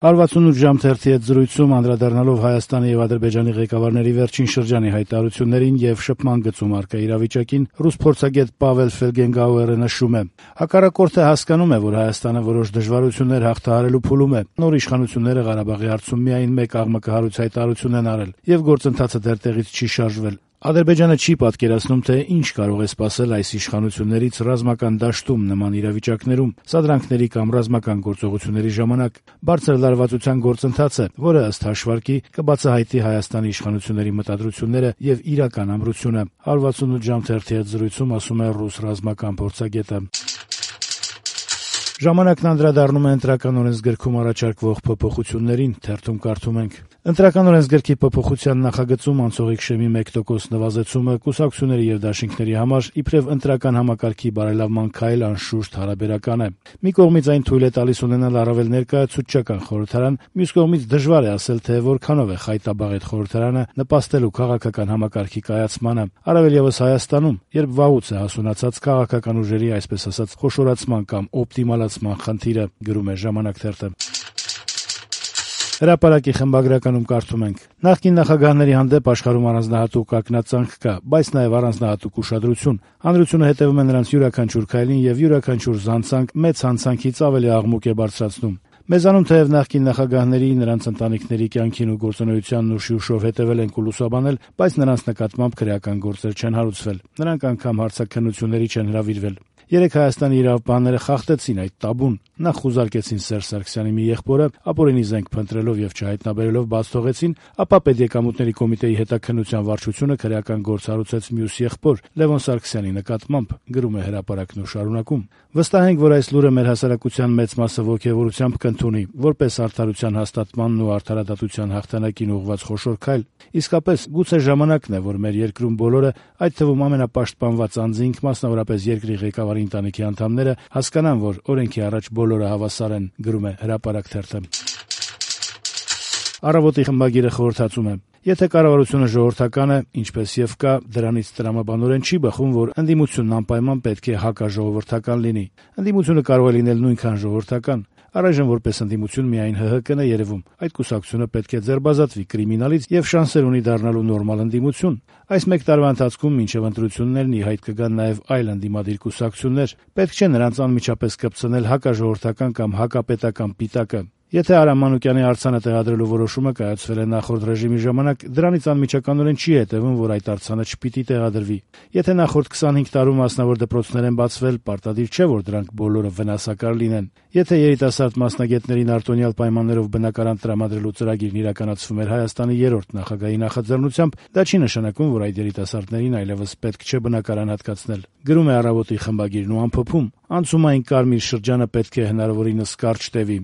168 ժամ թերթի հետ զրույցում անդրադառնալով Հայաստանի եւ Ադրբեջանի ղեկավարների վերջին շրջանի հայտարարություններին եւ շփման գծում առկա իրավիճակին, ռուս փորձագետ Պավել Ֆելգենգաուերը նշում է. «Հակառակորդը հասկանում է, որ Հայաստանը որոշ դժվարություններ հաղթահարելու փուլում է։ Նոր իշխանությունները Ղարաբաղի հարցում միայն մեկ աղմկահարույց հայտարարություն են արել եւ գործընթացը դեռ տեղից չի շարժվել։ Ադրբեջանը չի պատկերացնում, թե ինչ կարող է սպասել այս իշխանություններից ռազմական դաշտում նման իրավիճակներում, սադրանքների կամ ռազմական գործողությունների ժամանակ։ Բարձր լարվածության գործընթաց է, որը ըստ հաշվարկի կբացահայտի Հայաստանի իշխանությունների մտադրությունները եւ իրական ամրությունը», 168 ժամ թերթի հետ զրույցում ասում է ռուս ռազմական փորձագետը։ Ժամանակն անդրադառնում է ընտրական օրենսգրքում առաջարկվող փոփոխություններին, թերթում կարդում ենք. «Ընտրական օրենսգրքի փոփոխության նախագծում անցողիկ շեմի 1% նվազեցումը կուսակցությունների եւ դաշինքների համար իբրեւ ընտրական համակարգի բարելավման քայլ անշուշտ հարաբերական է։ Մի կողմից այն թույլ է տալիս ունենալ առավել ներկայացուցչական խորհրդարան, մյուս կողմից դժվար է ասել, թե որքանով է խայտաբաղ այդ խորհրդարանը նպաստելու քաղաքական համակարգի կայացմանը, առավել եւս Հայաստանում, երբ վաղուց է հասունացած քաղաքական ուժերի, այսպես ասած, խոշորացման կամ օպտիմալացման խնդիրը», գրում է «Ժամանակ» թերթը։ Հրապարակի խմբագրականում կարդում ենք. «Նախկին նախագահների հանդեպ աշխարհում առանձնահատուկ ակնածանք կա, բայց նաև առանձնահատուկ ուշադրություն։ Հանրությունը հետևում է նրանց յուրաքանչյուր քայլին եւ յուրաքանչյուր զանցանք մեծ հանցանքից ավելի աղմուկ է բարձրացնում։ Մեզանում թեև նախկին նախագահների, նրանց ընտանիքների կյանքին ու գործունեությանն ուշի ուշով հետևել ենք ու լուսաբանել, բայց նրանց նկատմամբ քրեական գործեր չեն հարուցվել։ Նրանք անգամ հարցաքննությունների չեն հրավիրվել։ Երեք Հայաստանի իրավապահները խախտեցին այդ տաբուն։ Նախ խուզարկեցին Սերժ Սարգսյանի մի եղբորը, ապօրինի զենք փնտրելով եւ չհայտնաբերելով բաց թողեցին, ապա Պետեկամուտների կոմիտեի հետաքննության վարչությունը քրեական գործ հարուցեց մյուս եղբոր Լևոն Սարգսյանի նկատմամբ», գրում է Հրապարակն ու շարունակում. «Վստահ ենք, որ այս լուրը մեր հասարակության մեծ մասը ոգևորությամբ կընդունի, որպես արդարության հաստատմանն ու արդարադատության հաղթանակին ուղղված խոշոր քայլ։ Իսկապես, գուցե ժամանակն է, որ մեր երկրում բոլորը, այդ թվում ամենապաշտպանված անձինք, մասնավորապես երկրի ղեկավարի ընտանիքի անդամները, հասկանան, որ օրենքի առաջ բոլորը հավասար են», գրում է Հրապարակ թերթը։ Առավոտի խմբագիրը խորհրդածում է. «Եթե կառավարությունը ժողովրդական է, ինչպես եւ կա, դրանից տրամաբանորեն չի բխում, որ ընդդիմությունն անպայման պետք է հակաժողովրդական լինի։ Ընդդիմությունը կարող է լինել նույնքան ժողովրդական։ Առայժմ որպես ընդդիմություն միայն ՀՀԿ-ն է երևում։ Այդ կուսակցությունը պետք է ձերբազատվի կրիմինալից եւ շանսեր ունի դառնալու նորմալ ընդդիմություն։ Այս մեկ տարվա ընթացքում մինչեւ ընտրություններն ի հայտ կգան նաեւ այլ ընդդիմադիր կուսակցություններ։ Պետք չէ նրանց անմիջապես կպցնել հակաժողովրդական կամ հակապետական պիտակը։ Եթե Արամ Մանուկյանի արձանը տեղադրելու որոշումը կայացվել է նախորդ ռեժիմի ժամանակ, դրանից անմիջականորեն չի հետևում, որ այդ արձանը չպիտի տեղադրվի։ Եթե նախորդ 25 տարում մասնավոր դպրոցներ են բացվել, պարտադիր չէ, որ դրանք բոլորը վնասակար լինեն։ Եթե երիտասարդ մասնագետներին արտոնյալ պայմաններով բնակարան տրամադրելու ծրագիրն իրականացվում էր Հայաստանի 3-րդ նախագահի նախաձեռնությամբ, դա չի նշանակում, որ այդ երիտասարդներին այլևս պետք չէ բնակարան հատկացնել», գրում է Առավոտի խմբագիրն ու ամփոփում. «Անցումային կարմիր շրջանը պետք է հնարավորինս կարճ տևի»։